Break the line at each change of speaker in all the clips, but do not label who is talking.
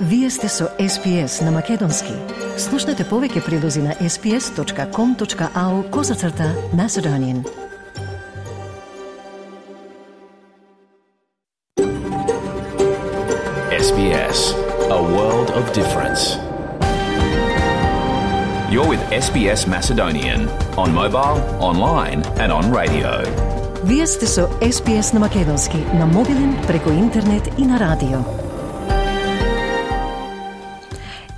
Вие сте со SPS на Македонски. Слушнете повеќе прилози на sps.com.au/Macedonian.
SBS, a world of difference. You're with SBS Macedonian on mobile, online and on radio.
Вие сте со SPS на Македонски на мобилен, преку интернет и на радио.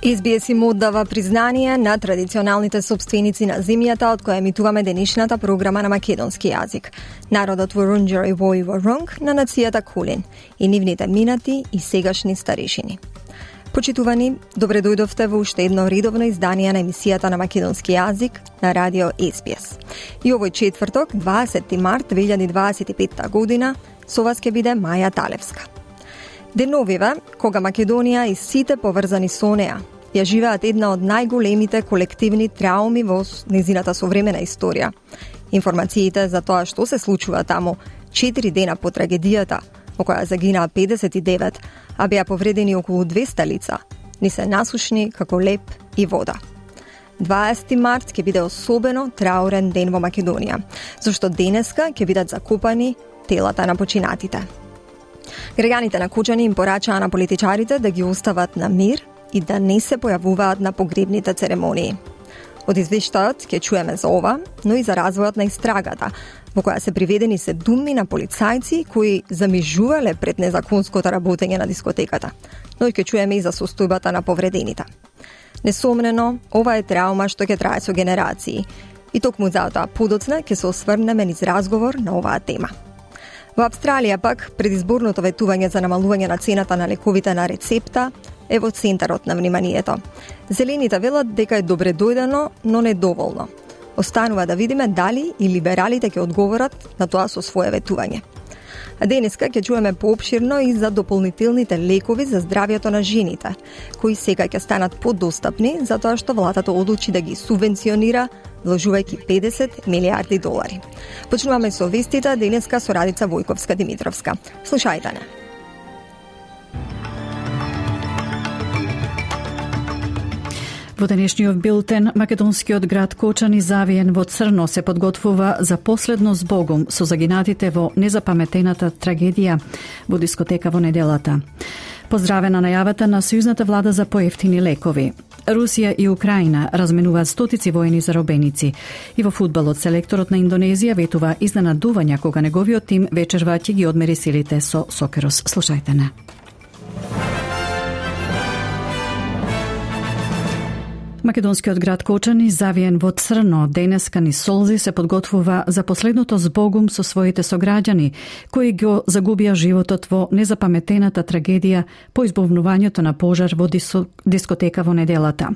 SBS им оддава признание на традиционалните собственици на земјата од која емитуваме денешната програма на македонски јазик. Народот Вурундјери Вој Ворунг на нацијата Кулин и нивните минати и сегашни старешини. Почитувани, добре дојдовте во уште едно редовно издание на емисијата на македонски јазик на радио SBS. И овој четврток, 20 март 2025 година, со вас ќе биде Маја Талевска. Деновиве, кога Македонија и сите поврзани со неа ја живеат една од најголемите колективни трауми во незината современа историја. Информациите за тоа што се случува таму 4 дена по трагедијата, во која загинаа 59, а беа повредени околу 200 лица, ни се насушни како леп и вода. 20 март ќе биде особено траурен ден во Македонија, зашто денеска ќе бидат закопани телата на починатите. Граѓаните на Кочани им порачаа на политичарите да ги остават на мир и да не се појавуваат на погребните церемонии. Од извештајот ќе чуеме за ова, но и за развојот на истрагата, во која се приведени се думни на полицајци кои замижувале пред незаконското работење на дискотеката, но и ќе чуеме и за состојбата на повредените. Несомнено, ова е траума што ќе трае со генерации и токму затоа подоцна ќе се осврнеме низ разговор на оваа тема. Во Австралија пак, предизборното ветување за намалување на цената на лековите на рецепта е во центарот на вниманието. Зелените велат дека е добре дојдено, но не доволно. Останува да видиме дали и либералите ќе одговорат на тоа со свое ветување. А денеска ќе чуеме поопширно и за дополнителните лекови за здравјето на жените, кои сега ќе станат подостапни затоа што владата одлучи да ги субвенционира, вложувајќи $50 милиарди. Почнуваме со вестите денеска со Радица Војковска-Димитровска. Слушајте не.
Во денешниот билтен, македонскиот град Кочани завиен во црно се подготвува за последно збогум со загинатите во незапаметената трагедија во дискотека во неделата. Поздравена најавата на сојузната влада за поевтини лекови. Русија и Украина разменуваат стотици воени заробеници. И во фудбалот селекторот на Индонезија ветува изненадувања кога неговиот тим вечерва ќе ги одмери силите со Сокерос. Слушајте не. Македонскиот град Кочани, завиен во црно, денеска низ солзи се подготвува за последното збогум со своите сограѓани, кои го загубија животот во незапаметената трагедија по избувнувањето на пожар во дискотека во неделата.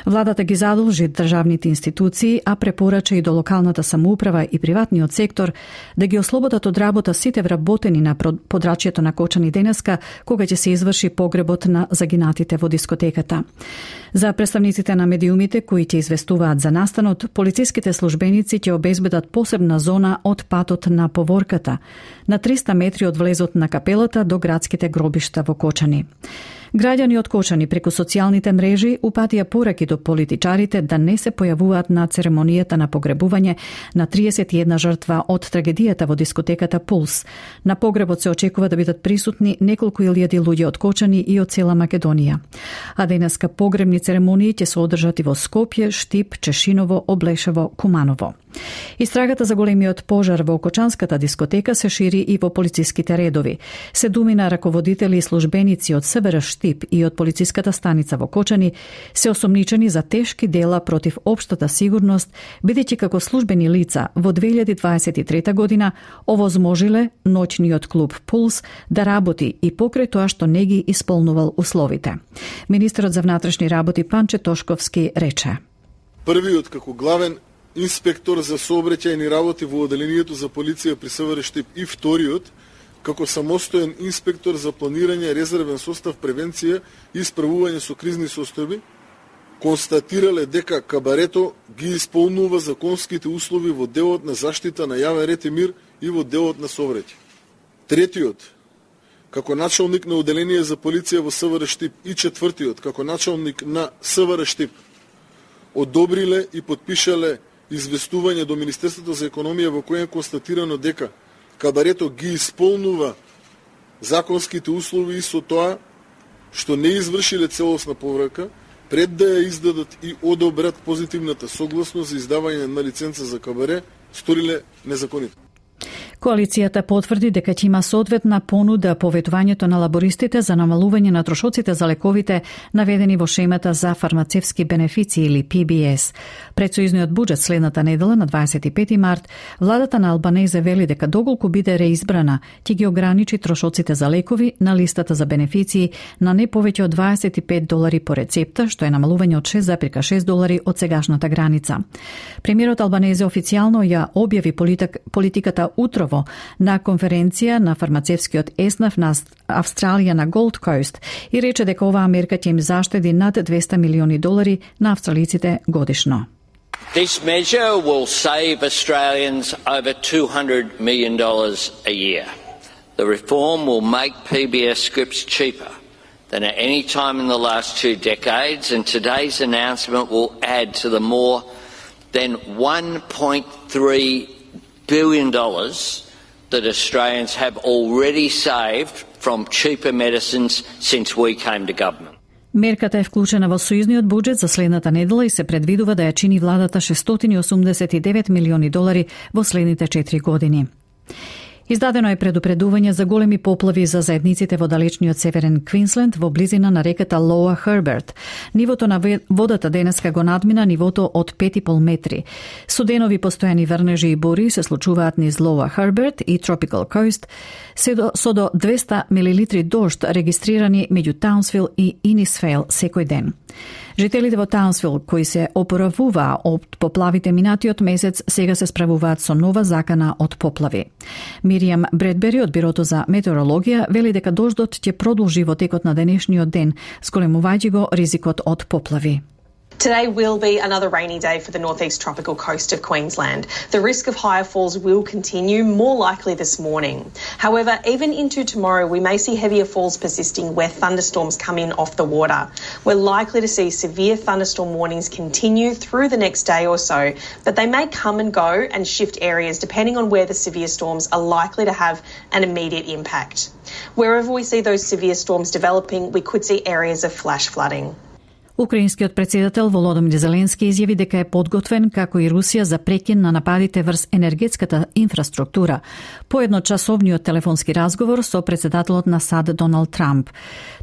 Владата ги задолжи државните институции, а препорача и до локалната самоуправа и приватниот сектор да ги ослободат од работа сите вработени на подрачјето на Кочани денеска, кога ќе се изврши погребот на загинатите во дискотеката. За представниците на медиумите кои ќе известуваат за настанот, полициските службеници ќе обезбедат посебна зона од патот на поворката, на 300 метри од влезот на капелата до градските гробишта во Кочани. Граѓани од Кочани преку социјалните мрежи упатија пораки до политичарите да не се појавуваат на церемонијата на погребување на 31 жртва од трагедијата во дискотеката Пулс. На погребот се очекува да бидат присутни неколку илјади луѓе од Кочани и од цела Македонија. А денеска погребни церемонии ќе се одржат и во Скопје, Штип, Чешиново, Облешево, Куманово. Истрагата за големиот пожар во Кочанската дискотека се шири и во полициските редови. Се думи на раководители и службеници од СВР Штип и од полициската станица во Кочани се осомничени за тешки дела против општата сигурност, бидејќи како службени лица во 2023 година овозможиле ноќниот клуб Пулс да работи и покрај тоа што не ги исполнувал условите. Министерот за внатрешни работи Панче Тошковски рече:
Првиот како главен инспектор за сообраќајни работи во одделението за полиција при СВР Штип и вториот како самостоен инспектор за планирање, резервен состав, превенција и исправување со кризни состојби, констатирале дека кабарето ги исполнува законските услови во делот на заштита на јавен ред и мир и во делот на сообраќај. Третиот, како началник на оделение за полиција во СВР Штип и четвртиот како началник на СВР Штип одобриле и подпишале известување до Министерството за економија во кое е констатирано дека кабарето ги исполнува законските услови и со тоа што не извршиле целосна поврака, пред да ја издадат и одобрат позитивната согласност за издавање на лиценца за кабаре, сториле незаконито.
Коалицијата потврди дека ќе има соодветна понуда по ветувањето на лабористите за намалување на трошоците за лековите наведени во шемата за фармацевски бенефиции или PBS. Пред сојузниот буџет следната недела на 25 март, владата на Албанезе вели дека доколку биде реизбрана, ќе ги ограничи трошоците за лекови на листата за бенефиции на не повеќе од $25 по рецепта, што е намалување од $6,6 од сегашната граница. Премиерот Албанезе официјално ја објави политиката утрово на конференција на фармацевскиот еснаф на Австралија на Gold Coast и рече дека оваа мерка ќе им заштеди над $200 милиони на австралиците годишно.
This measure will save Australians over $200 million a year. The reform will make PBS scripts cheaper than at any time in the last 2 decades, and today's announcement will add to the more than $1.3 billion that Australians have already saved from cheaper medicines since we came to government.
Мерката е вклучена во сојузниот буџет за следната недела и се предвидува да ја чини владата $689 милиони во следните 4 години. Издадено е предупредување за големи поплави за заедниците во далечниот северен Квинсленд во близина на реката Лоа Херберт. Нивото на водата денеска го надмина нивото од 5,5 метри. Суденови постојани врнежи и бури се случуваат низ Лоа Херберт и Tropical Coast, со до 200 милилитри дожд регистрирани меѓу Таунсвил и Инисфейл секој ден. Жителите во Таунсвил, кои се опоравуваа од поплавите минатиот месец, сега се справуваат со нова закана од поплави. Миријам Бредбери од Бирото за метеорологија вели дека дождот ќе продолжи во текот на денешниот ден, зголемувајќи го ризикот од поплави.
Today will be another rainy day for the northeast tropical coast of Queensland. The risk of higher falls will continue, more likely this morning. However, even into tomorrow, we may see heavier falls persisting where thunderstorms come in off the water. We're likely to see severe thunderstorm warnings continue through the next day or so, but they may come and go and shift areas depending on where the severe storms are likely to have an immediate impact. Wherever we see those severe storms developing, we could see areas of flash flooding.
Украинскиот претседател Володомир Зеленски изјави дека е подготвен, како и Русија, за прекин на нападите врз енергетската инфраструктура по едночасовниот телефонски разговор со претседателот на САД Доналд Трамп.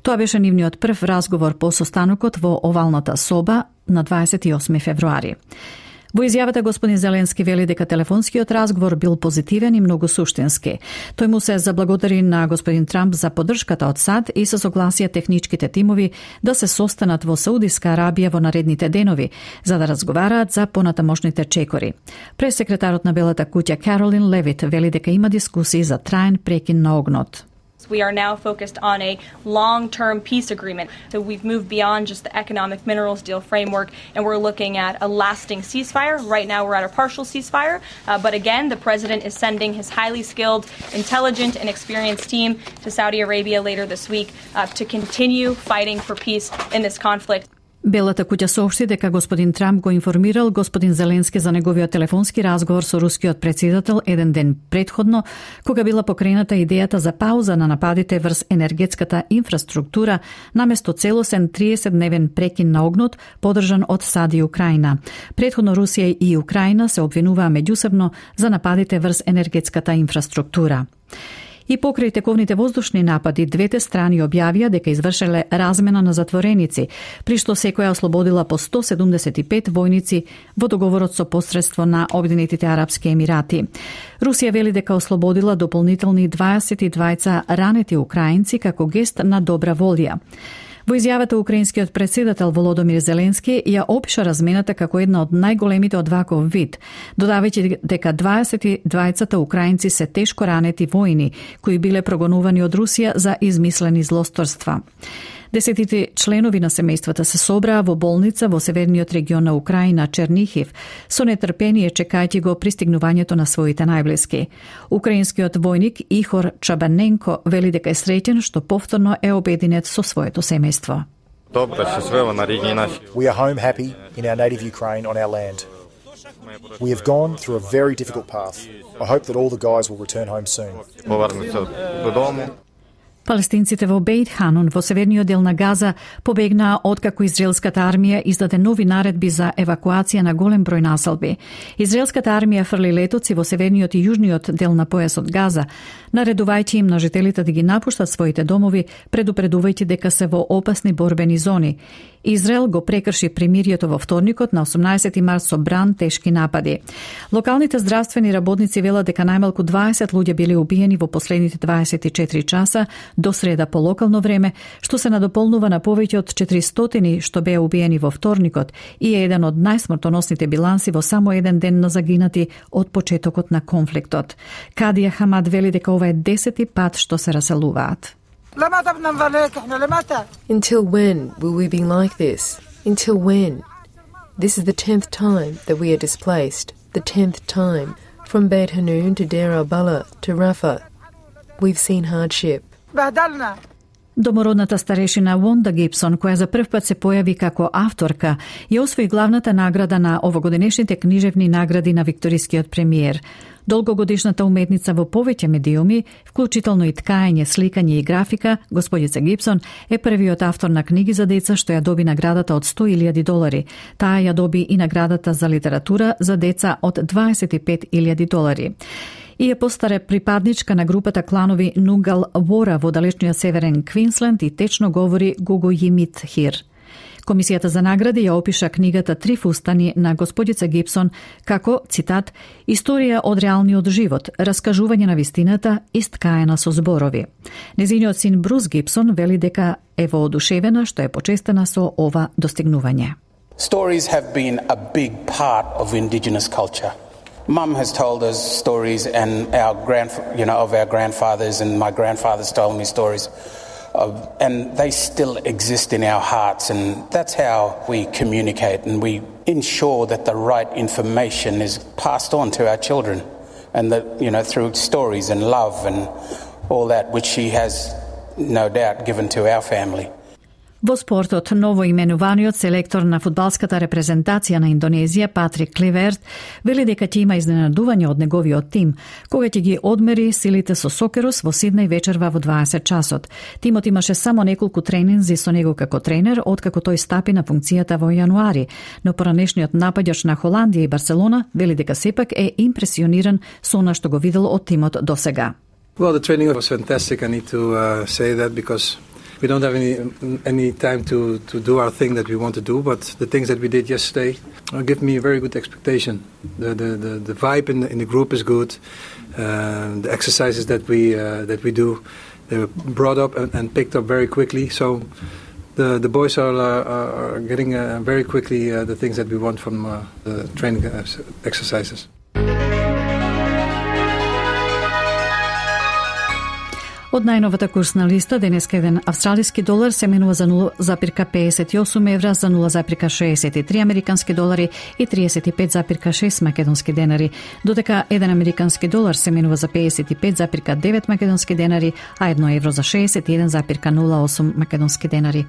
Тоа беше нивниот прв разговор по состанокот во овалната соба на 28 февруари. Во изјавата господин Зеленски вели дека телефонскиот разговор бил позитивен и многу суштински. Тој му се заблагодари на господин Трамп за поддршката од САД и се согласија техничките тимови да се состанат во Саудиска Арабија во наредните денови, за да разговараат за понатамошните чекори. Пресекретарот на Белата куќа Каролин Левит вели дека има дискусии за траен прекин на огнот.
We are now focused on a long-term peace agreement. So we've moved beyond just the economic minerals deal framework, and we're looking at a lasting ceasefire. Right now we're at a partial ceasefire, but again, the president is sending his highly skilled, intelligent, and experienced team to Saudi Arabia later this week to continue fighting for peace in this conflict.
Белата куќа соопшти дека господин Трамп го информирал господин Зеленски за неговиот телефонски разговор со рускиот претседател еден ден предходно, кога била покрената идејата за пауза на нападите врз енергетската инфраструктура наместо целосен 30-дневен прекин на огнот поддржан од САД и Украина. Предходно Русија и Украина се обвинуваа меѓусебно за нападите врз енергетската инфраструктура. И покрај тековните воздушни напади, двете страни објавија дека извршеле размена на затвореници, при што секоја ослободила по 175 војници во договорот со посредство на Обединетите Арапски Емирати. Русија вели дека ослободила дополнителни 22 ранети украинци како гест на добра волја. Во изјавата украинскиот претседател Володомир Зеленски ја опиша размената како една од најголемите од ваков вид, додавајќи дека 22 украинци се тешко ранети војни, кои биле прогонувани од Русија за измислени злосторства. Десетите членови на семејствата се собраа во болница во северниот регион на Украина, Чернихив, со нетрпение чекајќи го пристигнувањето на своите најблиски. Украинскиот војник Ихор Чабаненко вели дека е среќен што повторно е обединет со своето семејство.
We are home happy in our native Ukraine on our land. We have gone through a very difficult path. I hope that all the guys will return home soon.
Палестинците во Бейт Ханун во северниот дел на Газа побегнаа откако израелската армија издаде нови наредби за евакуација на голем број населби. Израелската армија фрли летоци во северниот и јужниот дел на појасот Газа, наредувајќи им на жителите да ги напуштат своите домови, предупредувајќи дека се во опасни борбени зони. Израел го прекрши примирието во вторникот на 18 март со бран тешки напади. Локалните здравствени работници велат дека најмалку 20 луѓе били убиени во последните 24 часа до среда по локално време, што се надополнува на повеќе од 400 што беа убиени во вторникот и е еден од најсмртоносните биланси во само еден ден на загинати од почетокот на конфликтот. Кадија Хамад вели дека ова е 10-ти пат што се раселуваат.
Until when will we be like this? Until when? This is the 10th time that we are displaced. The 10th time. From Beit Hanun to Deir al-Balah to Rafah. We've seen hardship.
Домородната старешина Вонда Гибсон, која за прв пат се појави како авторка, ја освои главната награда на овогодинешните книжевни награди на викторискиот премиер. Долгогодишната уметница во повеќе медиуми, вклучително и ткаење, сликање и графика, господица Гибсон е првиот автор на книги за деца што ја доби наградата од $100,000. Таа ја доби и наградата за литература за деца од $25,000. И е постара припадничка на групата кланови Нугал Вора во далечниот северен Квинсленд и течно говори Гуго Јимит Хир. Комисијата за награди ја опиша книгата Три фустани на господица Гибсон како, цитат, историја од реалниот живот, раскажување на вистината и сткаена со зборови. Незиниот син Брус Гибсон вели дека е воодушевена што е почестена со ова достигнување.
Stories have been a big part of Indigenous culture. Mum has told us stories, and of our grandfathers, and my grandfathers told me stories, and they still exist in our hearts, and that's how we communicate, and we ensure that the right information is passed on to our children, and that through stories and love and all that, which she has no doubt given to our family.
Во спортот, новоименуваниот селектор на фудбалската репрезентација на Индонезија, Патрик Клеверт, вели дека ќе има изненадување од неговиот тим, кога ќе ги одмери силите со Сокерус во Сиднеј вечерва во 20 часот. Тимот имаше само неколку тренинзи со него како тренер, откако тој стапи на функцијата во јануари, но поранешниот напаѓач на Холандија и Барселона вели дека сепак е импресиониран со она што го видел од тимот досега.
Well, the training was fantastic. I need to say that because we don't have any time to do our thing that we want to do, but the things that we did yesterday give me a very good expectation. The vibe in the group is good. The exercises that we do, they were brought up and picked up very quickly. So the boys are getting very quickly the things that we want from the training exercises.
Од најновата курсна листа, денеска еден австралиски долар се менува за 0,58 евра, за 0,63 американски долари и 35,6 македонски денари, додека еден американски долар се менува за 55,9 македонски денари, а 1 евро за 61,08 македонски денари.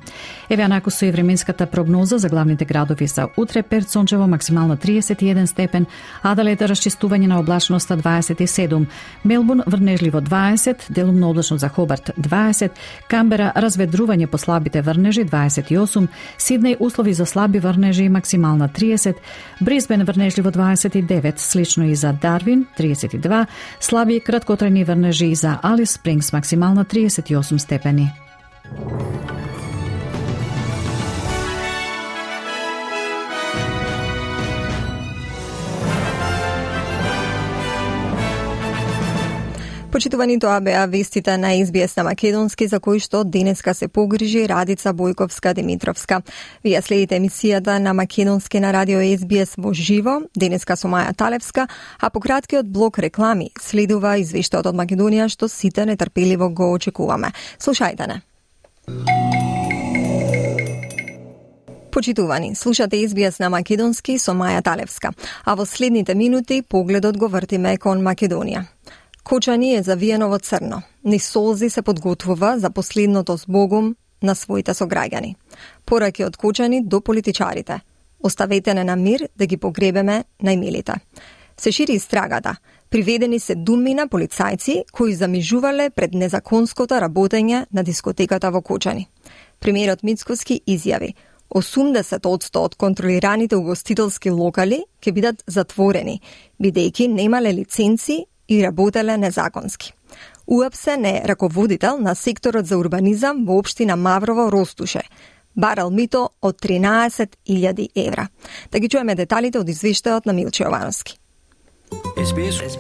Еве накусу и временската прогноза за главните градови за утре: Перт сончево, максимално 31 степен, Аделаид расчистување на облачноста 27, Мелбурн врнежливо 20, делумно облачно за Хобарт 20, Камбера разведрување по слабите врнежи 28, Сиднеј услови за слаби врнежи максимална 30, Брисбен врнежливо 29, слично и за Дарвин 32, слаби краткотрајни врнежи и за Алис Спрингс максимална 38 степени.
Почитувани, тоа беа вестите на SBS на македонски, за кои што денеска се погрижи Радица Бојковска-Димитровска. Вие следите емисијата на македонски на радио SBS во живо, денеска со Маја Талевска, а по краткиот блок реклами следува извештаот од Македонија што сите нетрпеливо го очекуваме. Слушајте не. Почитувани, слушате СБС на македонски со Маја Талевска, а во следните минути погледот го вртиме кон Македонија. Кочани е завиено во црно. Низ солзи се подготвува за последното збогум на своите сограѓани. Пораки од Кочани до политичарите. Оставете не на мир да ги погребеме најмилите. Се шири истрагата. Приведени се думина полицајци кои замижувале пред незаконското работење на дискотеката во Кочани. Премиерот Мицкоски изјави 80% од контролираните угостителски локали ќе бидат затворени, бидејќи немале лиценци и работеле незаконски. УАПСЕ е раководител на секторот за урбанизам во општина Маврово Ростуше. Барал мито од 13.000 евра. Да ги чуеме деталите од извештајот на Милче Јовановски.
SBS.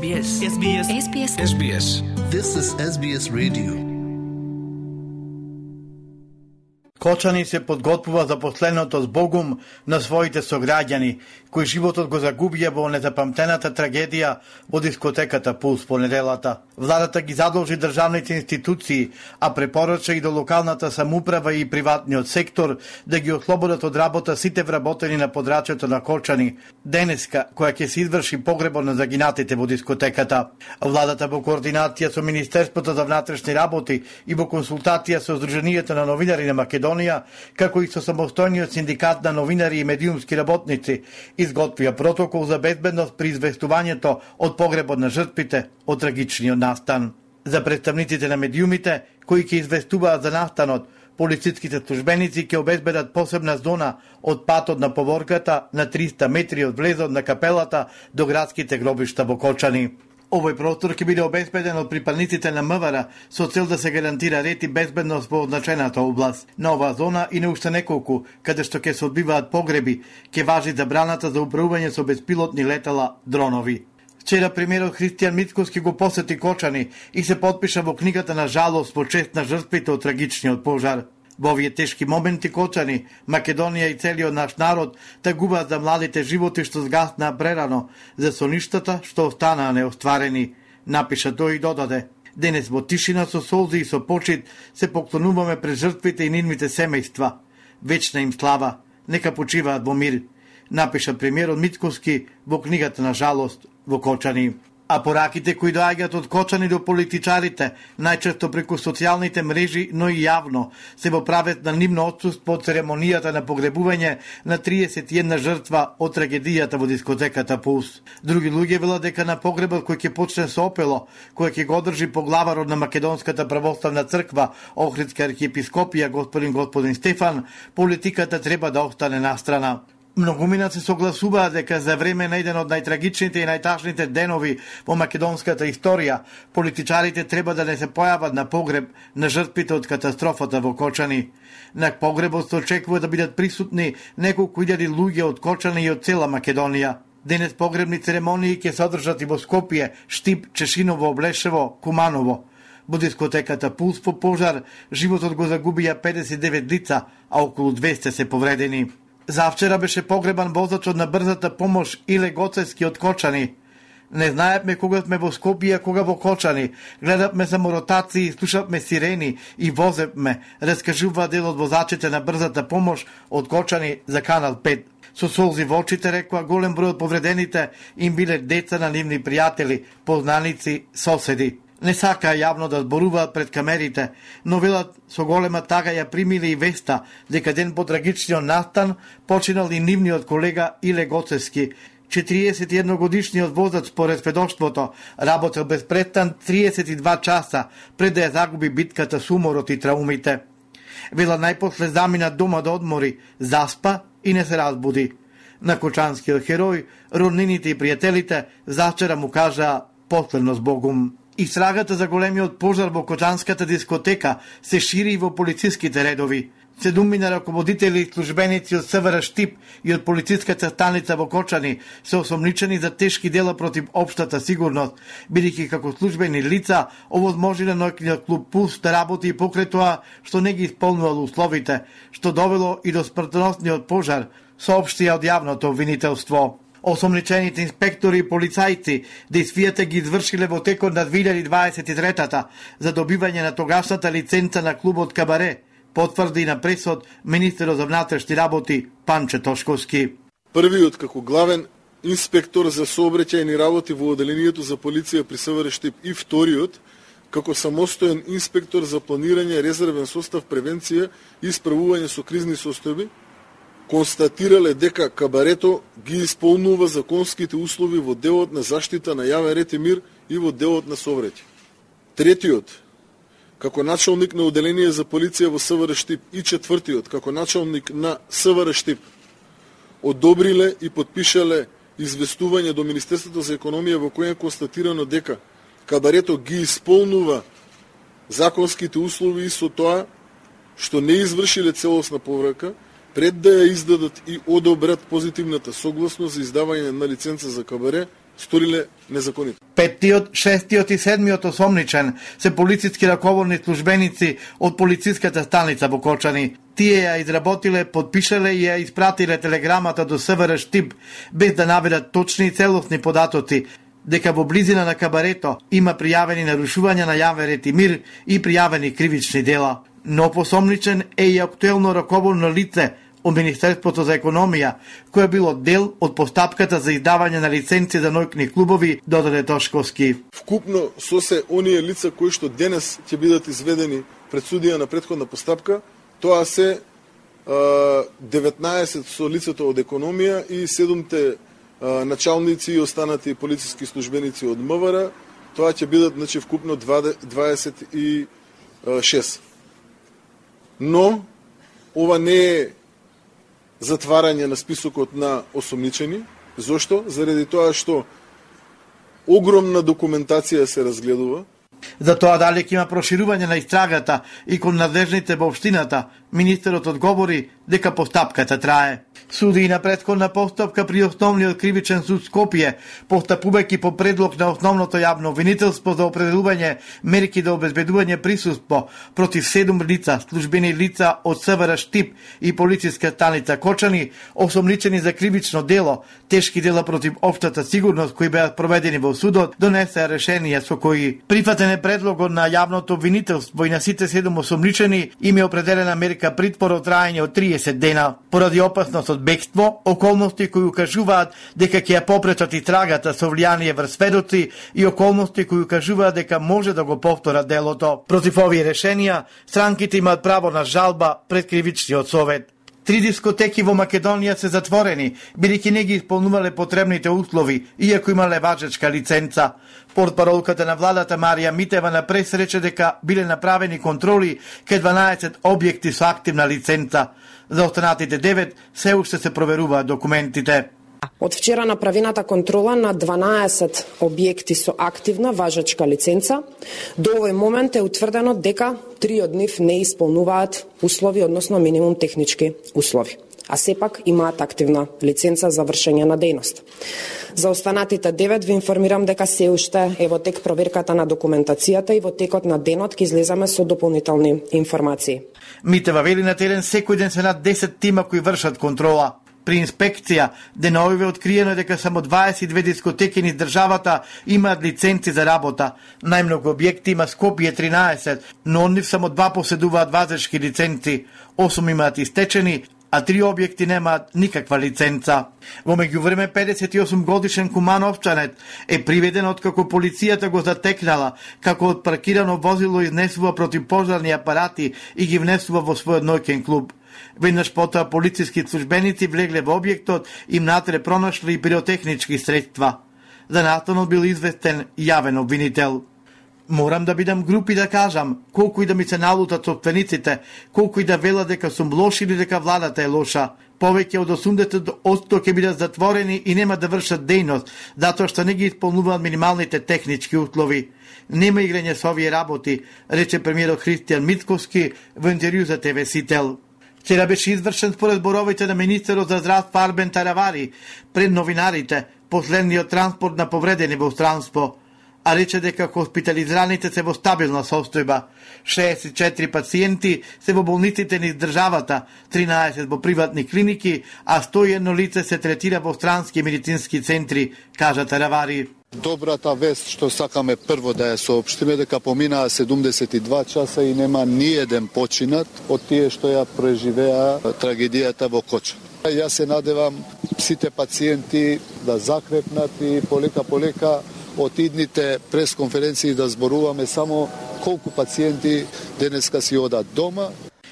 This is SBS Radio.
Кочани се подготвува за последното збогум на своите сограѓани, кои животот го загубија во незапамтената трагедија во дискотеката Пулс понеделата. Владата ги задолжи државните институции, а препорача и до локалната самоуправа и приватниот сектор да ги ослободат од работа сите вработени на подрачјето на Кочани, денеска која ќе се изврши погребот на загинатите во дискотеката. Владата во координација со Министерството за внатрешни работи и во консултација со Сдруженијето на новинари на Македонија, како и со самостојниот синдикат на новинари и медиумски работници, изготвија протокол за безбедност при известувањето од погребот на жртвите од трагичниот настан. За представниците на медиумите, кои ќе известуваат за настанот, полициските службеници ќе обезбедат посебна зона од патот на поворката на 300 метри од влезот на капелата до градските гробишта во Кочани. Овој простор ќе биде обезбеден од припадниците на МВР со цел да се гарантира ред и безбедност во означената област. На оваа зона и на уште неколку, каде што ќе се одбиваат погреби, ќе важи забраната за управување со безпилотни летала дронови. Вчера премиерот Христијан Мицкоски го посети Кочани и се потпиша во книгата на жалост во чест на жртвите од трагичниот пожар. Во овие тешки моменти Кочани, Македонија и целиот наш народ тагуваат за младите животи што згаснаа прерано, за соништата што останаа неостварени, напиша тој и додаде. Денес во тишина со солзи и со почит се поклонуваме пред жртвите и нивните семејства. Вечна им слава, нека почиваат во мир, напиша премиерот Мицкоски во книгата на жалост во Кочани. А пораките кои доаѓаат од Кочани до политичарите, најчесто преку социјалните мрежи, но и јавно, се во правец на нивно отсуство од церемонијата на погребување на 31 жртва од трагедијата во дискотеката Пулс. Други луѓе велат дека на погребот кој ќе почне со опело, кој ќе го одржи поглаварот на Македонската православна црква, Охридска архиепископија господин Стефан, политиката треба да остане настрана. Многумина се согласуваат дека за време на еден од најтрагичните и најтажните денови во македонската историја, политичарите треба да не се појават на погреб на жртвите од катастрофата во Кочани. На погребот се очекува да бидат присутни неколку илјади луѓе од Кочани и од цела Македонија. Денес погребни церемонии ќе се одржат и во Скопје, Штип, Чешиново, Облешево, Куманово. Во дискотеката Пулс по пожар животот го загубија 59 лица, а околу 200 се повредени. Завчера беше погребан возачот на брзата помош Иле Гоцевски од Кочани. Не знаевме кога сме во Скопје, кога во Кочани. Гледавме само ротации, слушавме сирени и возевме, раскажува дел од возачите на брзата помош од Кочани за Канал 5. Со солзи во очите рекоа голем број од повредените им биле деца на нивни пријатели, познаници, соседи. Не сакаа јавно да зборуваат пред камерите, но велат со голема тага ја примиле и веста дека ден по трагичниот настан починал и нивниот колега Иле Гоцевски. 41 годишниот возач според сведоштвото работел без престан 32 часа пред да ја загуби битката со уморот и траумите. Вела најпосле замина дома да одмори, заспа и не се разбуди. На кочанскиот херој, роднините и пријателите завчера му кажаа последно збогум. Истрагата за големиот пожар во Кочанската дискотека се шири и во полициските редови. 7 раководители и службеници од СВР Штип и од полициската станица во Кочани се осомничени за тешки дела против општата сигурност, бидејќи како службени лица овозможиле ноќниот клуб Пулс да работи и покрај тоа што не ги исполнувал условите, што довело и до смртоносниот пожар, соопштија од јавното обвинителство. Осомничените инспектори и полицајци действијата ги извршиле во текот на 2023-та за добивање на тогашната лиценца на клубот Кабаре, потврди на пресод министерот за внатрешни работи Панче Тошковски.
Првиот како главен инспектор за сообраќајни работи во одделението за полиција при СВР Штип и вториот како самостоен инспектор за планирање, резервен состав, превенција и справување со кризни состојби, констатирале дека кабарето ги исполнува законските услови во делот на заштита на јавен ред и мир и во делот на сообраќај. Третиот, како началник на одделение за полиција во СВР Штип и четвртиот, како началник на СВР Штип, одобриле и подпишале известување до Министерството за економија во кој е констатирано дека кабарето ги исполнува законските услови и со тоа што не извршиле целосна поврака, пред да ја издадат и одобрат позитивната согласност за издавање на лиценца за кабаре, сториле незаконито.
Петтиот, шестиот и седмиот осомничен се полициски раководни службеници од полициската станица во Кочани. Тие ја изработиле, подпишале и ја испратиле телеграмата до СВР Штип, без да наведат точни и целосни податоци, дека во близина на кабарето има пријавени нарушувања на јавен ред и мир и пријавени кривични дела. Но посомничен е и актуелно раководно лице од Министерството за економија, кој било дел од постапката за издавање на лиценци за ноќни клубови, додаде Тошковски.
Вкупно со се оние лица кои што денес ќе бидат изведени пред судија на претходна постапка, тоа се 19 со лицето од економија и 7 началници и останати полициски службеници од МВР, тоа ќе бидат значи вкупно 26. Но ова не е затварање на списокот на осомничени. Зошто? Заради тоа што огромна документација се разгледува.
За тоа дали ќе има проширување на истрагата и кон надлежните во општината, министерот одговори дека постапката трае. Суди на претходна постапка при Основниот кривичен суд Скопје, постапувајќи по предлог на Основното јавно обвинителство за определување мерки за обезбедување присуство против 7 лица, службени лица од СВР Штип и полициска станица Кочани, осомничени за кривично дело, тешки дела против општата сигурност кои беа проведени во судот, донесе решение со кои прифатен е предлогот на јавното обвинителство и на сите 7 осомничени им е определена мерка притвор од траење од 30 дена поради опасност од бегство, околности кои укажуваат дека ќе ја попречат истрагата со влијание врз сведоци и околности кои укажуваат дека може да го повторат делото. Против овие решенија, странките имаат право на жалба пред кривичниот совет. 3 дискотеки во Македонија се затворени, бидејќи не ги исполнувале потребните услови, иако имале важечка лиценца. Портпаролката на владата Марија Митева на прес рече дека биле направени контроли кај 12 објекти со активна лиценца. За останатите 9 се уште се проверуваат документите.
Од вчера направената контрола на 12 објекти со активна важечка лиценца, до овој момент е утврдено дека 3 од нив не исполнуваат услови, односно минимум технички услови, а сепак имаат активна лиценца за вршење на дејност. За останатите 9 ви информирам дека се уште е во тек проверката на документацијата и во текот на денот ќе излеземе со дополнителни информации.
Митева вели на терен секој ден се над 10 тима кои вршат контрола. При инспекција, деновиве откриено дека само 22 дискотеки низ државата имаат лиценци за работа. Најмногу објекти има Скопје 13, но од нив само 2 поседуваат вазечки лиценци, 8 имаат истечени, а 3 објекти немаат никаква лиценца. Во меѓувреме 58 годишен Кумановчанет е приведен откако полицијата го затекнала како од паркирано возило изнесува противпожарни апарати и ги внесува во својот ноќен клуб. Веднаш потоа полициски службеници влегле во објектот и внатре пронашли пиротехнички средства. За настанот бил известен јавен обвинител. Морам да бидам груп и да кажам, колку и да ми се налутат собствениците, колку и да велат дека сум лош или дека владата е лоша. Повеќе од 80% ќе бидат затворени и нема да вршат дејност, затоа што не ги исполнуваат минималните технички услови. Нема играње со овие работи, рече премиерот Христијан Мицковски во интервју за ТВ Сител. Вчера беше извршен според зборовите на министерот за здравство Арбен Таравари пред новинарите последниот транспорт на повредени во странство, а рече дека хоспитализираните се во стабилна состојба. 64 пациенти се во болниците низ државата, 13 во приватни клиники, а 101 лице се третира во странски медицински центри, кажа Таравари.
Добрата вест што сакаме прво да ја соопштиме дека поминаа 72 часа и нема ни еден починат од тие што ја преживеа трагедијата во Кочани. Јас се надевам сите пациенти да закрепнат и полека од идните пресконференции да зборуваме само колку пациенти денеска си одат дома.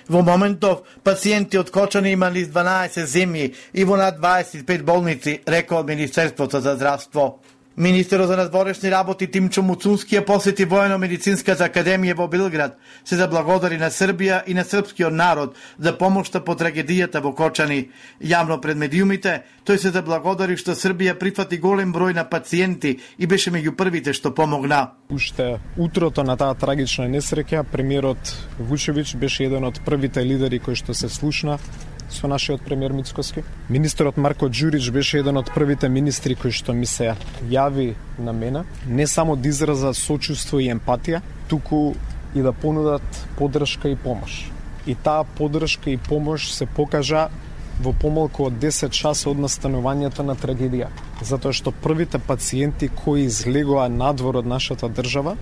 Во моментов, пациенти од Кочани имали 12 земји и во над 25 болници, рекол Министерството за здравство. Министерот за надворешни работи Тимчо Муцунски ја посети Воено-медицинската академија во Белград, се заблагодари на Србија и на српскиот народ за помошта по трагедијата во Кочани. Јавно пред медиумите, тој се заблагодари што Србија прифати голем број на пациенти и беше меѓу првите што помогна.
Уште утрото на таа трагична несреќа, премиерот Вучевиќ беше еден од првите лидери кои што се слушна со нашиот премиер Мицкоски. Министерот Марко Ѓурич беше еден од првите министри кои што ми се јави на мене, не само да израза сочувство и емпатија, туку и да понудат поддршка и помош. И таа поддршка и помош се покажа во помалку од 10 часа од настанувањето на трагедија, затоа што првите пациенти кои излегоа надвор од нашата држава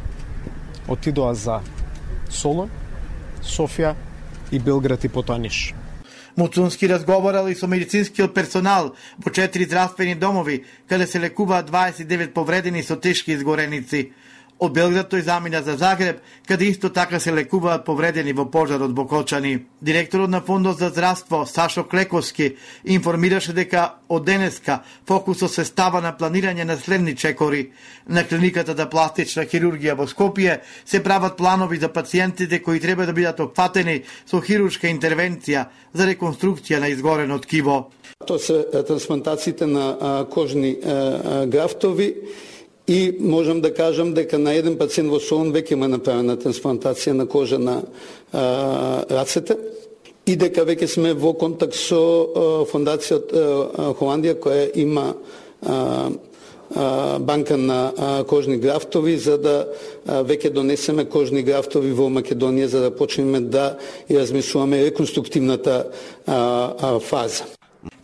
отидоа за Солун, Софија и Белград и потоа Ниш.
Муцунски разговарал и со медицинскиот персонал во 4 здравствени домови, каде се лекуваат 29 повредени со тешки изгореници. Од Белград тој замина за Загреб, каде исто така се лекуваат повредени во пожарот во Кочани. Директорот на Фондот за здравство Сашо Клековски информираше дека од денеска фокусот се става на планирање на следни чекори. На клиниката за пластична хирургија во Скопје се прават планови за пациентите кои треба да бидат опфатени со хируршка интервенција за реконструкција на изгорено ткиво.
Тоа се трансплантациите на кожни графтови. И можам да кажам дека на еден пациент во Солун веќе има направена трансплантација на кожа на рацете и дека веќе сме во контакт со фондацијата Холандија која има банка на кожни графтови за да веќе донесеме кожни графтови во Македонија за да почнеме да ја размислуваме реконструктивната фаза.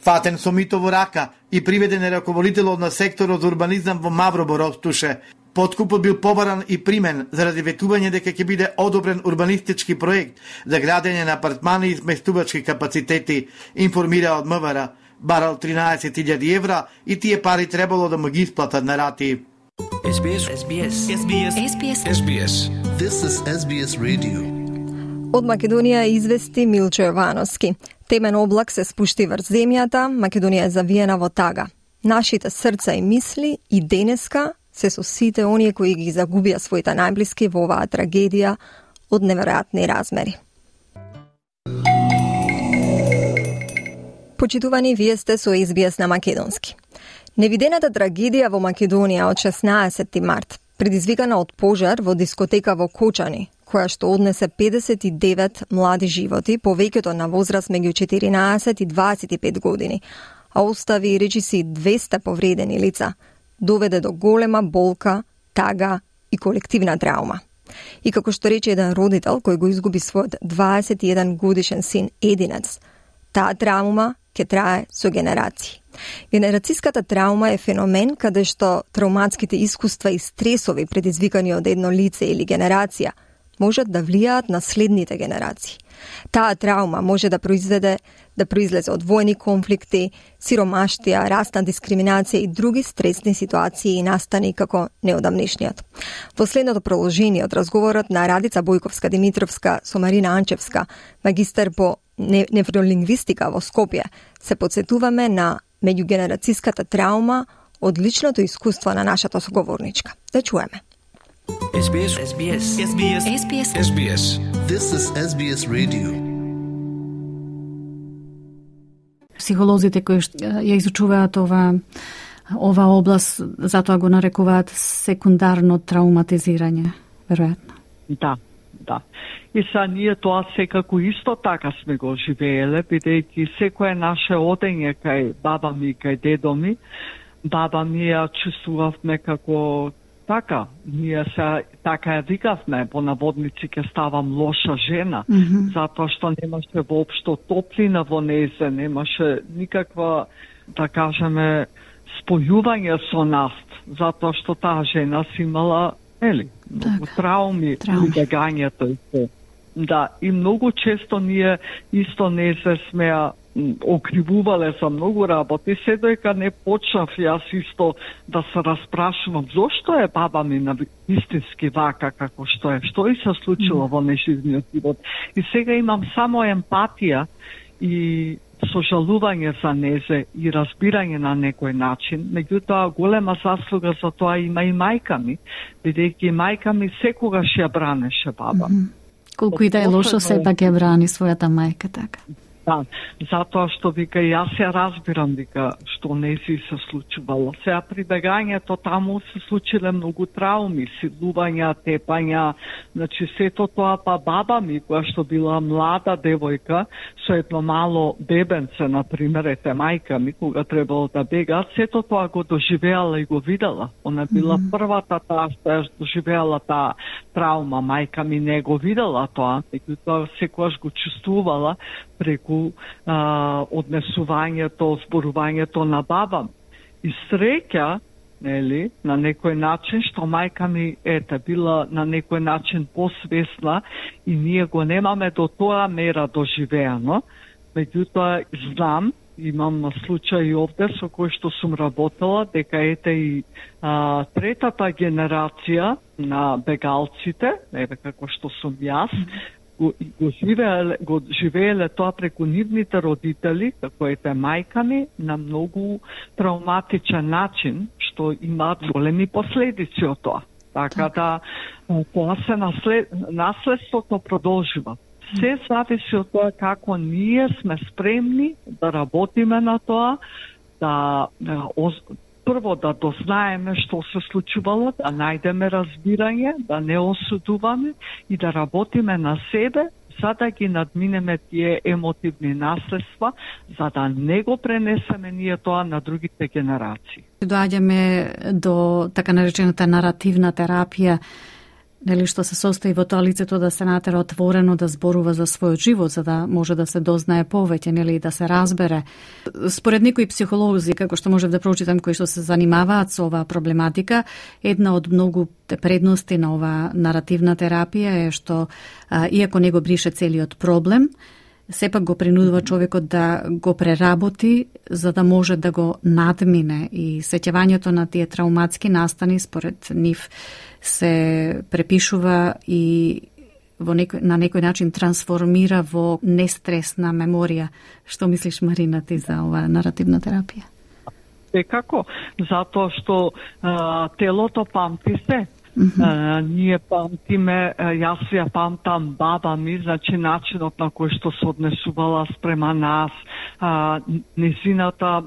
Фатен со мито во рака и приведен е раководителот на секторот за урбанизам во Мавробор Ростуше. Подкупот бил побаран и примен заради ветување дека ќе биде одобрен урбанистички проект за градење на апартмани и сместувачки капацитети, информира од МВР. Барал 13.000 евра и тие пари требало да му ги исплатат на рати.
SBS. This is SBS Radio.
Од Македонија извести Милчо Јовановски. Темен облак се спушти врз земјата, Македонија е завиена во тага. Нашите срца и мисли и денеска се со сите оние кои ги загубија своите најблиски во оваа трагедија од неверојатни размери. Почитувани, вие сте со SBS на македонски. Невидената трагедија во Македонија од 16 март, предизвикана од пожар во дискотека во Кочани, која што однесе 59 млади животи, повеќето на возраст меѓу 14 и 25 години, а остави речиси 200 повредени лица, доведе до голема болка, тага и колективна траума. И како што рече еден родител кој го изгуби својот 21 годишен син единец, таа траума ќе трае со генерации. Генерацијската траума е феномен каде што трауматските искуства и стресови предизвикани од едно лице или генерација можат да влијаат на следните генерации. Таа траума може да произлезе од војни конфликти, сиромаштија, расна дискриминација и други стресни ситуации и настани како неодамнешниот. Во следното продолжение од разговорот на Радица Бојковска-Димитровска со Марина Анчевска, магистар по невролингвистика во Скопје, се подсетуваме на меѓугенерацијската траума од личното искуство на нашата соговорничка. Да чуеме.
SBS. This is SBS Radio.
Психолозите кои ја изучуваат ова област, затоа го нарекуваат секундарно трауматизирање, веројатно.
Да. И са ние тоа секако исто така сме го живееле, бидејќи секое наше одење кај баба ми, кај дедо ми, баба ми ја чувствувавме како така, ние се така ја викавме, по наводници ќе ставам лоша жена, затоа што немаше воопшто топлина во незе, немаше никаква, да кажеме, спојување со нас, затоа што таа жена си имала многу трауми, прибегањето и се. Да, и многу често ние исто не се смеа окривувале за многу работи, се доека не почнав јас исто да се распрашувам зошто е баба ми на истински вака како што е, што и се случило во неживниот живот. И сега имам само емпатија и сожалување за незе и разбирање на некој начин. Меѓутоа, голема заслуга за тоа има и мајка ми, бидејќи мајка ми секогаш ја бранеше баба.
Колку и да е лошо, сепак ја брани својата мајка, така.
Да, затоа што вика јас ја разбирам вика што не си се случувало. Сега прибегањето таму се случиле многу трауми, силувања, тепања, значи сето тоа, па баба ми која што била млада девојка со едно мало бебенце, например, мајка ми кога требало да бега, сето тоа го доживеала и го видела. Она била првата таа што ја доживеала таа траума, мајка ми не го видела тоа, меѓутоа секогаш го чувствувала преку однесувањето, зборувањето на баба. И среќа, нели, на некој начин, што мајка ми била на некој начин посвесна и ние го немаме до тоа мера доживеано. Меѓутоа, знам, имам случаи овде со кој што сум работела, дека и третата генерација на бегалците, како што сум јас, го живееле тоа преку нивните родители, како мајка ми, на многу травматичен начин, што имаат големи последици од тоа. Така да, тоа се наследството продолжува. Се зависи од тоа како ние сме спремни да работиме на тоа, да прво да дознаеме што се случувало, да најдеме разбирање, да не осудуваме и да работиме на себе, за да ги надминеме тие емотивни наследства, за да не го пренесеме ние тоа на другите генерации.
Доаѓаме до така наречената наративна терапија, нели, што се состои во тоа лицето да се натера отворено да зборува за својот живот, за да може да се дознае повеќе, нели, да се разбере. Според некои психолози, како што можев да прочитам, кои што се занимаваат со оваа проблематика, една од многу предности на оваа наративна терапија е што, иако не го брише целиот проблем, сепак го принудува човекот да го преработи за да може да го надмине, и сеќавањето на тие трауматски настани според нив се препишува и на некој начин трансформира во нестресна меморија. Што мислиш, Марина, ти за оваа наративна терапија?
Како? Затоа што телото памти се. Ние памтиме, јас ја памтам баба ми, значи начинот на кој што се однесувала спрема нас, незината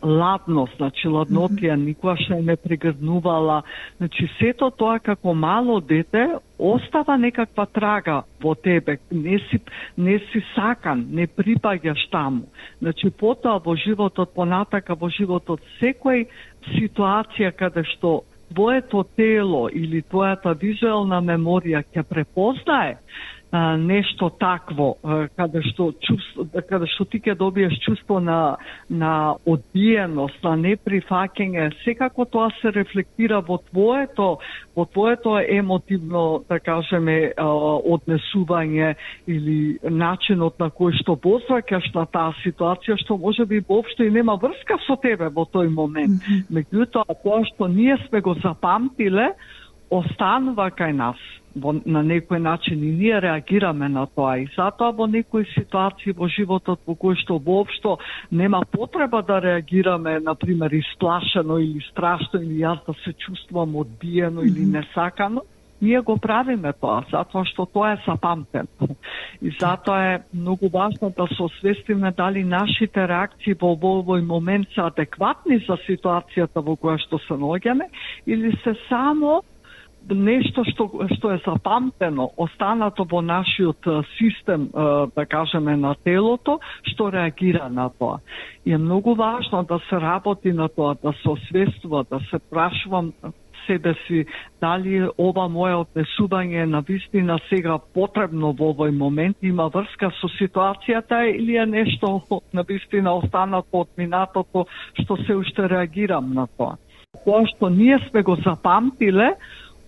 ладност, значи ладнотија, никогаш не ме прегрнувала, значи сето тоа како мало дете остава некаква трага во тебе, не си сакан, не припаѓаш таму. Значи потоа во животот, понатака во животот, секој ситуација каде што твоето тело или твојата визуелна меморија ќе препознае нешто такво, каде што ти ќе добиеш чувство на одбиеност, на неприфаќање, секако тоа се рефлектира во твоето емотивно, да кажеме, однесување или начинот на кој што возвраќаш на таа ситуација, што можеби воопшто и нема врска со тебе во тој момент. Меѓутоа, тоа што ние сме го запамтиле, останува кај нас на некој начин и ние реагираме на тоа, и затоа во некои ситуации во животот во кои што воопшто нема потреба да реагираме, например исплашено или страшно, или јас да се чувствувам одбиено или несакано, ние го правиме тоа, затоа што тоа е запамтено. И затоа е многу важно да се освестиме дали нашите реакции во овој момент се адекватни за ситуацијата во која што се наоѓаме, или се само нешто што е запамтено, останато во нашиот систем, да кажеме, на телото, што реагира на тоа. И е многу важно да се работи на тоа, да се освестува, да се прашувам себе си дали ова мое однесување на вистина сега потребно во овој момент, има врска со ситуацијата или е нешто на вистина останато од минатото што се уште реагирам на тоа. Тоа што ние сме го запамтиле,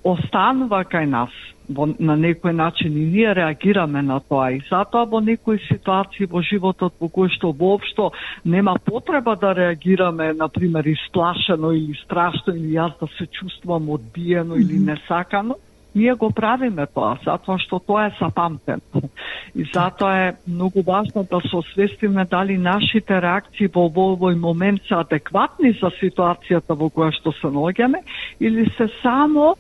останува кај нас. На некој начин и ние реагираме на тоа и затоа во некои ситуации во животот во кои што воопшто нема потреба да реагираме, например, исплашено или страшно или јас да се чувствувам одбиено или несакано, ние го правиме тоа, затоа што тоа е запамтено. И затоа е многу важно да се освестиме дали нашите реакции во овој момент се адекватни за ситуацијата во која што се наоѓаме или се само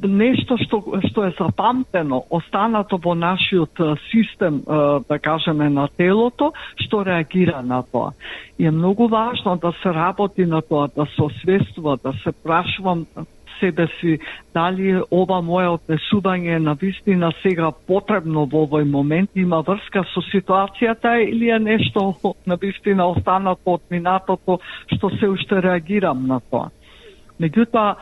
нешто што е запамтено, останато во нашиот систем, да кажеме, на телото, што реагира на тоа. И е многу важно да се работи на тоа, да се освестува, да се прашувам себе си дали ова мое однесување на вистина сега потребно во овој момент, има врска со ситуацијата или е нешто на вистина останато од минатото што се уште реагирам на тоа. Меѓутоа,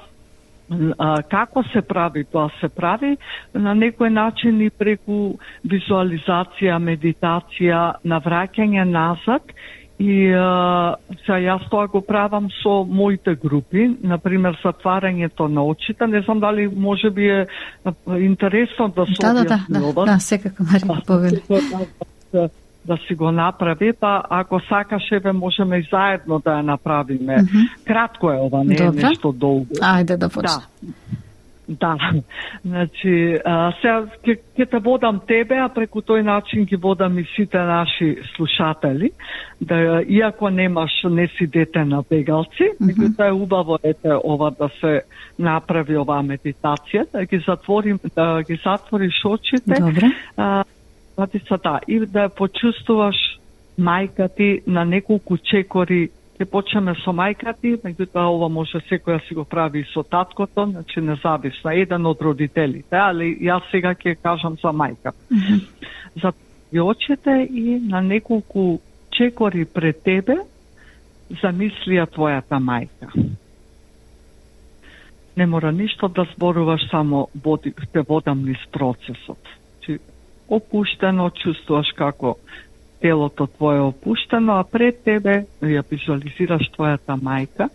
како се прави? Тоа се прави на некој начин и преку визуализација, медитација, навраќање назад и јас тоа го правам со моите групи, например затварањето на очите. Не знам дали може би е интересно да се објасни.
Да, секако Марија повели.
Да си го направи, па ако сакаш, еве можеме и заедно да ја направиме. Кратко е ова, не е нешто долго.
Ајде да почнем.
Да. Значи, сега ќе те водам тебе, а преку тој начин ги водам и сите наши слушатели, да иако не си дете на бегалци, меѓутоа е убаво ова да се направи оваа медитација, да ги затвориш очите.
Добре.
И да почувствуваш мајка ти на неколку чекори. Ќе почнеме со мајка ти, меѓутоа ова може секој да си го прави и со таткото, значи независно, еден од родителите, али јас сега ќе кажам за мајка. Затвори очите и на неколку чекори пред тебе замисли ја твојата мајка. Не мора ништо да зборуваш, само те водам низ процесот. Опуштено, чувствуваш како телото твое опуштено, а пред тебе ја визуализираш твојата мајка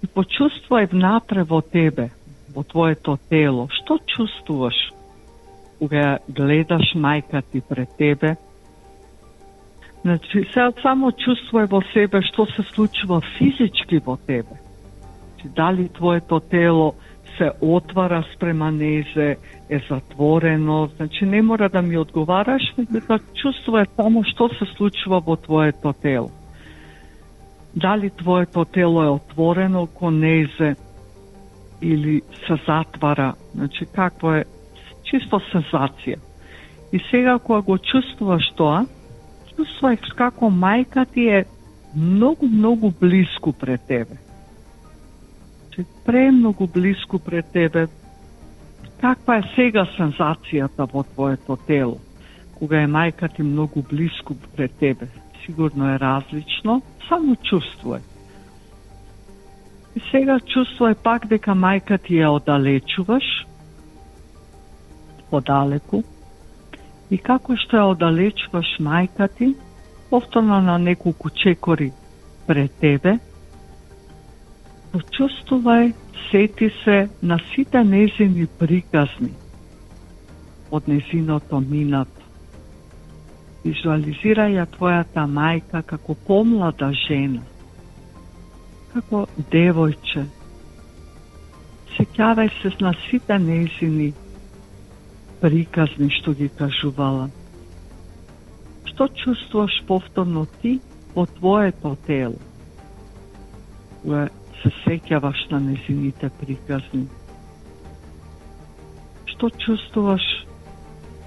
и почувствувај внатре во тебе, во твоето тело. Што чувствуваш кога гледаш мајка ти пред тебе? Значи, сега само чувствувај во себе што се случува физички во тебе. Значи, дали твоето тело се отвара спрема незе, е затворено, значи не мора да ми одговараш, меѓутоа чувствувај само што се случува во твоето тело. Дали твоето тело е отворено кон незе или се затвара, значи какво е чисто сензација. И сега кога го чувствуваш тоа, чувствувај како мајка ти е многу близко пред тебе. Премногу близко пред тебе. Каква е сега сензацијата во твоето тело? Кога е мајка ти многу близко пред тебе, сигурно е различно, само чувствувај. И сега чувствувај пак дека мајка ти ја оддалечуваш, подалеку, и како што ја оддалечуваш мајка ти, повторно на неколку чекори пред тебе, почувствувај, сети се на сите незини приказни од незиното минато. Визуализирај ја твојата мајка како помлада жена, како девојче. Сеќавај се на сите незини приказни што ги кажувала. Што чувствуваш повторно ти во твоето тело? Се сеќаваш на незините приказни. Што чувствуваш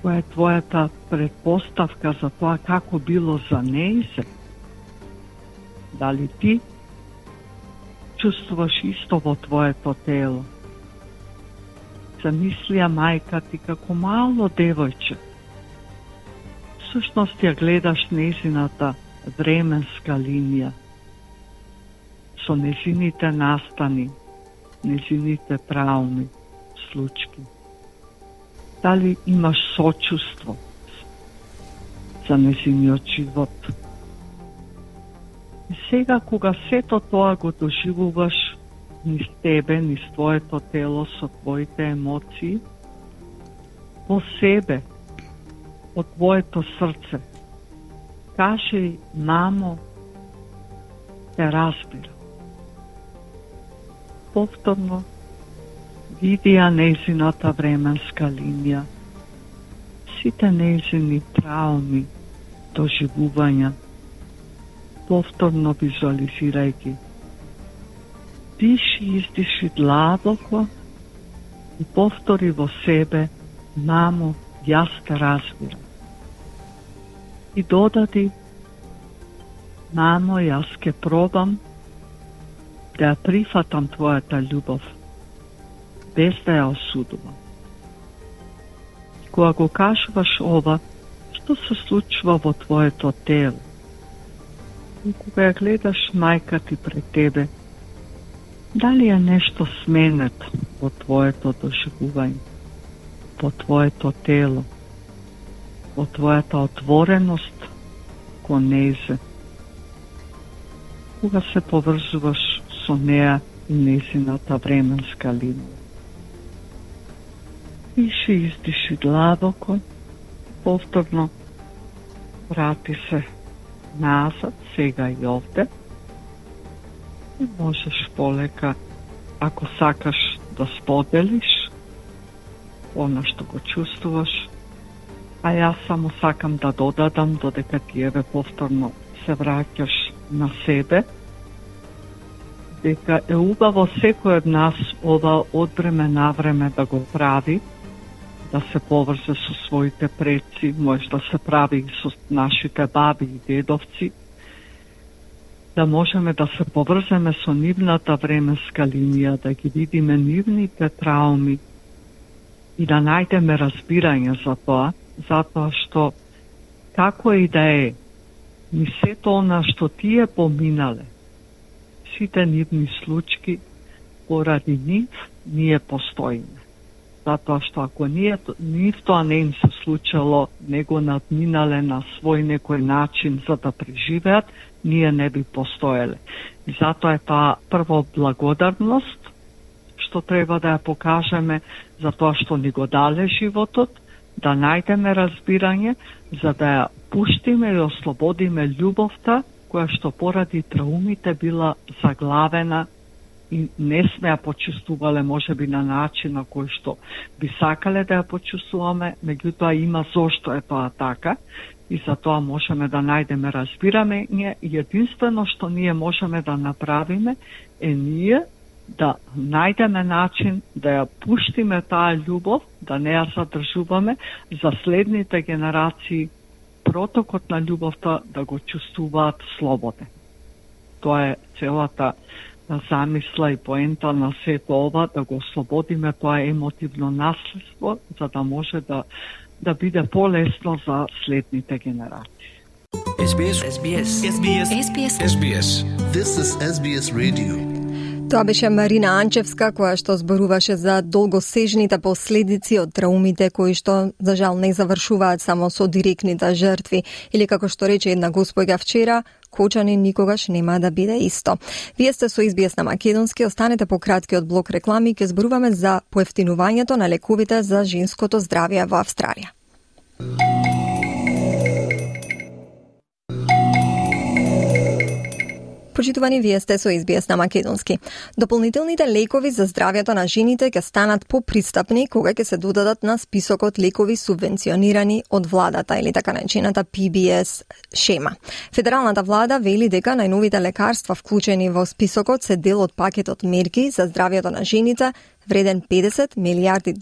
која е твојата предпоставка за тоа како било за нејзе? Дали ти чувствуваш исто во твоето тело? Замислија мајка ти како мало девојче. Всушност ја гледаш незината временска линија, со незините настани, нејзините травми, случки? Дали имаш сочувство за нејзиниот живот? И сега, кога сето тоа го доживуваш низ тебе, низ твоето тело, со твоите емоции, во себе, од твоето срце, кажи, мамо, те разбира. Повторно, види ја нејзината временска линија, сите нејзини трауми, доживувања, повторно визуализирајќи. Диши, издиши длабоко и повтори во себе, мамо, јас те разбирам. И додади, мамо, јас ке пробам да ја прифатам твојата љубов, без да ја осудувам. Кога го кажуваш ова, што се случува во твоето тело? И кога ја гледаш мајка ти пред тебе, дали е нешто сменето во твоето доживување, во твоето тело, во твојата отвореност кон нејзе? Кога се поврзуваш со неа и нејзината временска линија. Диши, издиши длабоко, повторно врати се назад, сега и овде. И можеш полека, ако сакаш да споделиш она што го чувствуваш, а јас само сакам да додадам додека ти еве повторно се враќаш на себе, дека е убаво секој од нас ова од време на време да го прави, да се поврзе со своите предци, може да се прави и со нашите баби и дедовци, да можеме да се поврземе со нивната временска линија, да ги видиме нивните трауми и да најдеме разбирање за тоа, затоа што како и да е, ни сето она што тие поминале, сите нивни случки, поради нив ние постоиме. Затоа што ако нив тоа не им се случило, не го надминале на свој некој начин за да преживеат, ние не би постоеле. И затоа е тоа прво благодарност, што треба да ја покажеме за тоа што ни го дале животот, да најдеме разбирање, за да ја пуштиме и ослободиме љубовта, која што поради траумите била заглавена и не сме ја почувствувале можеби на начин на кој што би сакале да ја почувствуваме, меѓутоа има зошто е тоа така и за тоа можеме да најдеме разбирање и единствено што ние можеме да направиме е ние да најдеме начин да ја пуштиме таа љубов, да не ја задржуваме за следните генерации, протокот на љубовта да го чувствуваат слободен. Тоа е целата замисла и поента на сето ова, да го ослободиме тоа емотивно наследство, за да може да биде полесно за следните генерации.
SBS. This is SBS Radio.
Тоа беше Марина Анчевска, која што зборуваше за долгосежните последици од траумите кои што, за жал, не завршуваат само со директните жртви. Или како што рече една госпоѓа вчера, Кочани никогаш нема да биде исто. Вие сте со SBS на македонски, останете по краткиот блок реклами, ќе зборуваме за поевтинувањето на лековите за женското здравје во Австралија. Почитувани, вие сте со SBS на македонски. Дополнителните лекови за здравјето на жените ќе станат попристапни кога ќе се додадат на списокот лекови субвенционирани од владата или така наречената PBS шема. Федералната влада вели дека најновите лекарства вклучени во списокот се дел од пакетот мерки за здравјето на жените вреден $50 милиарди,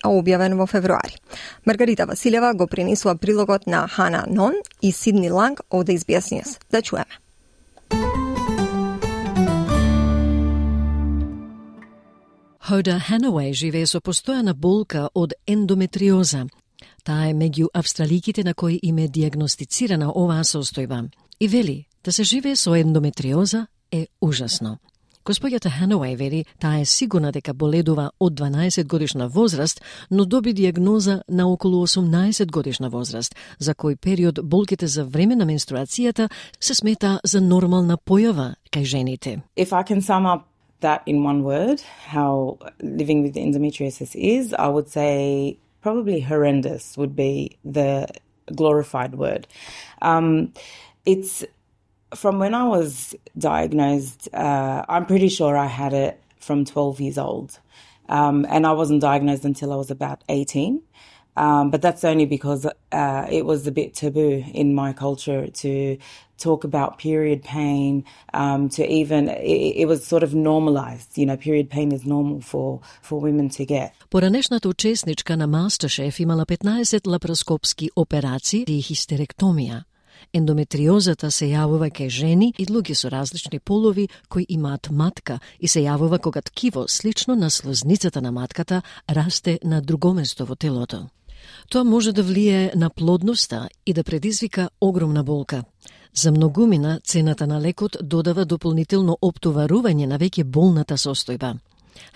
а објавен во февруари. Маргарита Василева го пренесува прилогот на Хана Нон и Сидни Ланг од SBS News. Да чуеме.
Hoda Hanaway живее со постојана болка од ендометриоза. Таа е меѓу австраликите на кои им е диагностицирана оваа состојба. И вели, да се живее со ендометриоза е ужасно. Госпоѓата Ханауеј вели таа е сигурна дека боледува од 12 годишна возраст, но доби диагноза на околу 18 годишна возраст, за кој период болките за време на менструацијата се смета за нормална појава кај жените.
If I can sum up that in one word, how living with endometriosis is, I would say probably horrendous would be the glorified word. It's from when I was diagnosed, I'm pretty sure I had it from 12 years old. And I wasn't diagnosed until I was about 18. But that's only because it was a bit taboo in my culture to talk about period pain, it was sort of normalized. You know, period pain is normal for women to get.
Поранешната учесничка на MasterChef имала 15 лапароскопски операции и хистеректомија. Ендометриозата се јавува кај жени и луѓе со различни полови кои имаат матка и се јавува кога ткиво слично на слозницата на матката расте на друго место во телото. Тоа може да влие на плодноста и да предизвика огромна болка. За многумина цената на лекот додава дополнително оптоварување на веќе болната состојба.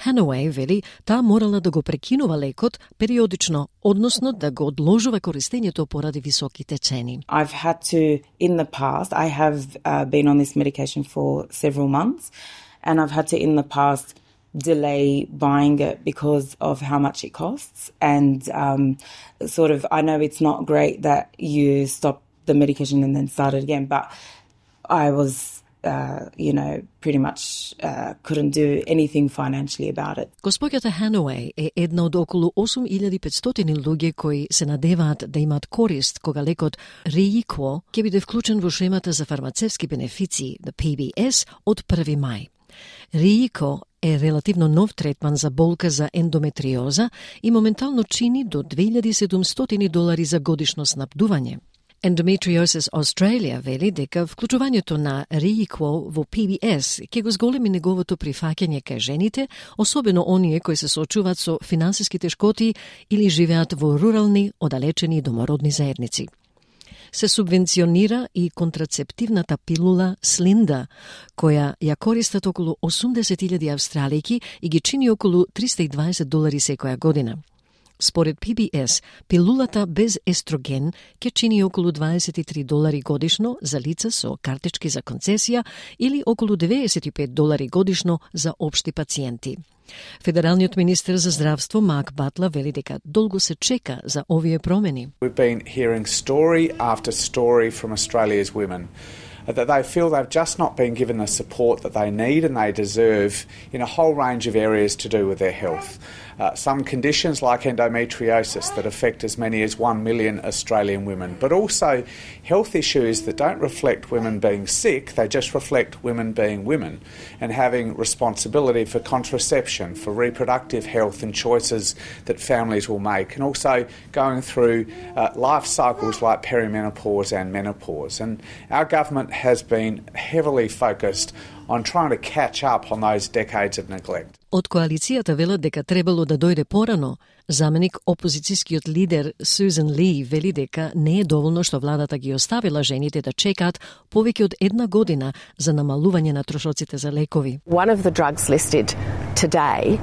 Ханауеј вели таа морала да го прекинува лекот периодично, односно да го одложува користењето поради високите цени.
I've had to, in the past, I have been on this medication for several months, and I've had to, in the past, delay buying it because of how much it costs. And sort of, I know it's not great that you stop the medication and then start it again, but I was pretty much couldn't do anything financially about it.
Госпоѓата Ханауеј е една од околу 8500 луѓе кои се надеваат да имаат корист кога лекот Реикво ќе биде вклучен во шемата за фармацевски бенефиции, the PBS, од 1 мај. Реико е релативно нов третман за болка за ендометриоза и моментално чини до $2,700 за годишно снабдување. Endometriosis Australia вели дека вклучувањето на Реикво во PBS ќе го зголеми неговото прифаќање кај жените, особено оние кои се соочуваат со финансиски тешкоти или живеат во рурални, оддалечени домородни заедници. Се субвенционира и контрацептивната пилула Слинда, која ја користат околу 80,000 австралијки и ги чини околу $320 секоја година. Според PBS, пилулата без естроген ќе чини околу $23 годишно за лица со картички за концесија или околу $95 годишно за општи пациенти. Федералниот министер за здравство Марк Батлер вели дека долго се чека за овие промени.
We've been hearing story after story from Australia's women that they feel they've just not been given the support that they need and they deserve in a whole range of areas to do with their health. Some conditions like endometriosis that affect as many as 1 million Australian women, but also health issues that don't reflect women being sick, they just reflect women being women and having responsibility for contraception, for reproductive health and choices that families will make, and also going through life cycles like perimenopause and menopause. And our government has been heavily focused on trying to catch up on those decades of neglect.
Од коалицијата велат дека требало да дојде порано. Заменик опозицијскиот лидер Сузан Ли вели дека не е доволно што владата ги оставила жените да чекаат повеќе од 1 година за намалување на трошоците за лекови.
One of the drugs listed today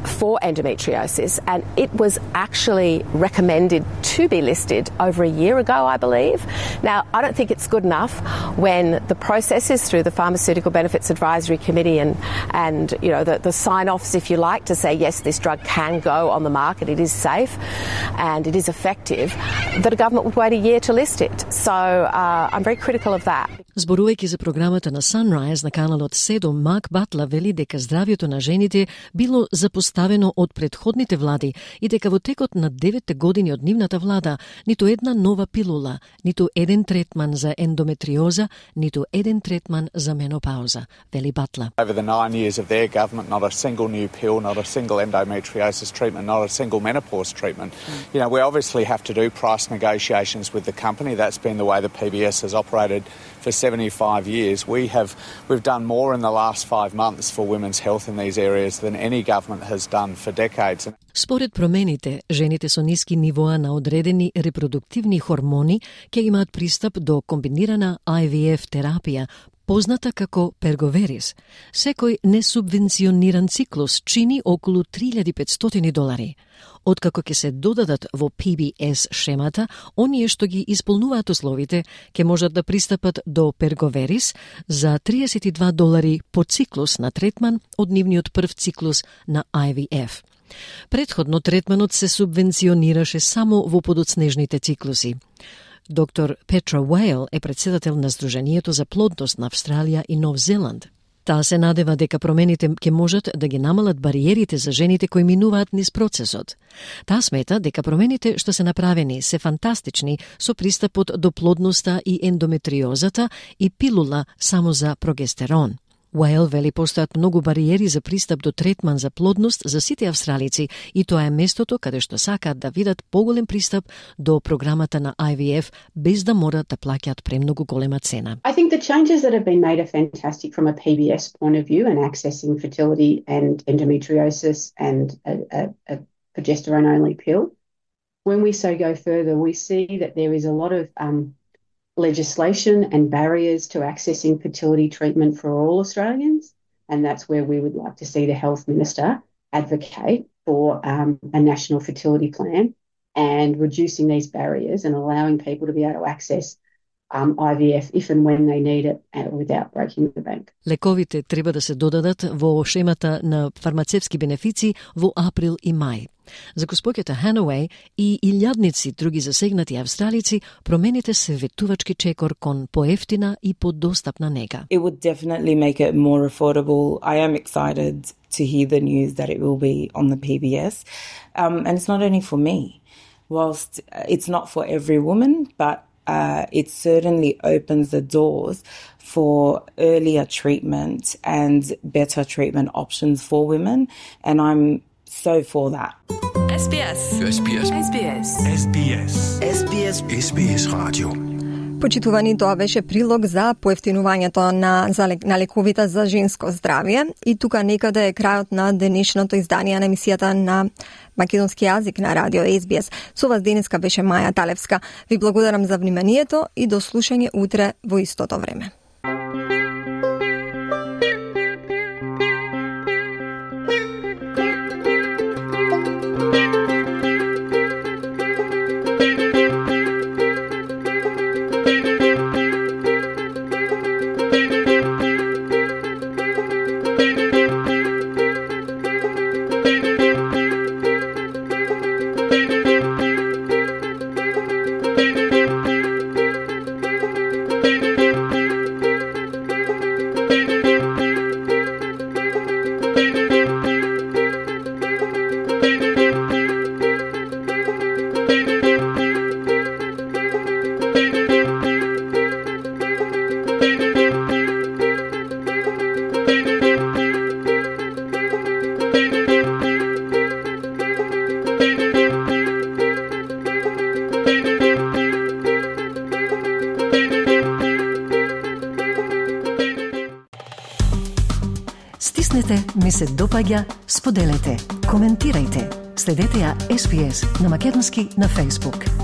for endometriosis, and it was actually recommended to be listed over a year ago, I believe. Now, I don't think it's good enough when the process is through the Pharmaceutical Benefits Advisory Committee and the sign-offs, if you like, to say, yes, this drug can go on the market, it is safe and it is effective, that a government would wait a year to list it. So I'm very critical of that.
Зборувајќи за програмата на Sunrise на каналот 7, Марк Батлер вели дека здравјето на жените било запоставено од претходните влади и дека во текот на 9 години од нивната влада ниту една нова пилула, ниту еден третман за ендометриоза, ниту еден третман за менопауза, вели Батлер.
Over the 9 years of their government, not a single new pill, not a single endometriosis treatment, not a single menopause treatment. You know, we obviously have to do price negotiations with the company. That's been the way the PBS has operated for 75 years. We've done more in the last 5 months for women's health in these areas than any government has done for decades.
Според промените, жените со ниски нивоа на одредени репродуктивни хормони ќе имаат пристап до комбинирана IVF терапија позната како перговерис. Секој несубвенциониран циклус чини околу $3,500. Откако ќе се додадат во PBS шемата, оние што ги исполнуваат условите ќе можат да пристапат до перговерис за $32 по циклус на третман од нивниот прв циклус на IVF. Предходно третманот се субвенционираше само во подоцнежните циклуси. Доктор Петра Уейл е председател на Сдруженијето за плодност на Австралија и Нов Зеланд. Таа се надева дека промените ќе можат да ги намалат бариерите за жените кои минуваат низ процесот. Таа смета дека промените што се направени се фантастични со пристапот до плодноста и ендометриозата и пилула само за прогестерон. Уейл вели постојат многу бариери за пристап до третман за плодност за сите австралици и тоа е местото каде што сакаат да видат поголем пристап до програмата на IVF без да морат да плаќаат премногу голема цена.
I think the changes that have been made are fantastic from a PBS point of view and accessing fertility and endometriosis and a progesterone-only pill. When we go further, we see that there is a lot of legislation and barriers to accessing fertility treatment for all Australians, and that's where we would like to see the Health Minister advocate for a national fertility plan and reducing these barriers and allowing people to be able to access IVF if and when they need it without breaking the bank.
Лековите треба да се додадат во шемата на фармацевски бенефици во април и мај. За госпоќата Ханауей и илјадници други засегнати австралици, промените се ветувачки чекор кон поевтина и подостапна нега.
It would definitely make it more affordable. I am excited to hear the news that it will be on the PBS. And it's not only for me. Whilst it's not for every woman, but it certainly opens the doors for earlier treatment and better treatment options for women. And I'm so for that.
SBS. SBS. SBS. SBS. SBS. SBS Radio.
Почитувани, тоа беше прилог за поевтинувањето на лековите за женско здравје. И тука некаде е крајот на денешното издание на емисијата на македонски јазик на радио SBS. Со вас денеска беше Маја Талевска. Ви благодарам за вниманието и до слушање утре во истото време.
Стиснете, ми се допаѓа, споделете, коментирајте. Следете ја SBS на македонски на Facebook.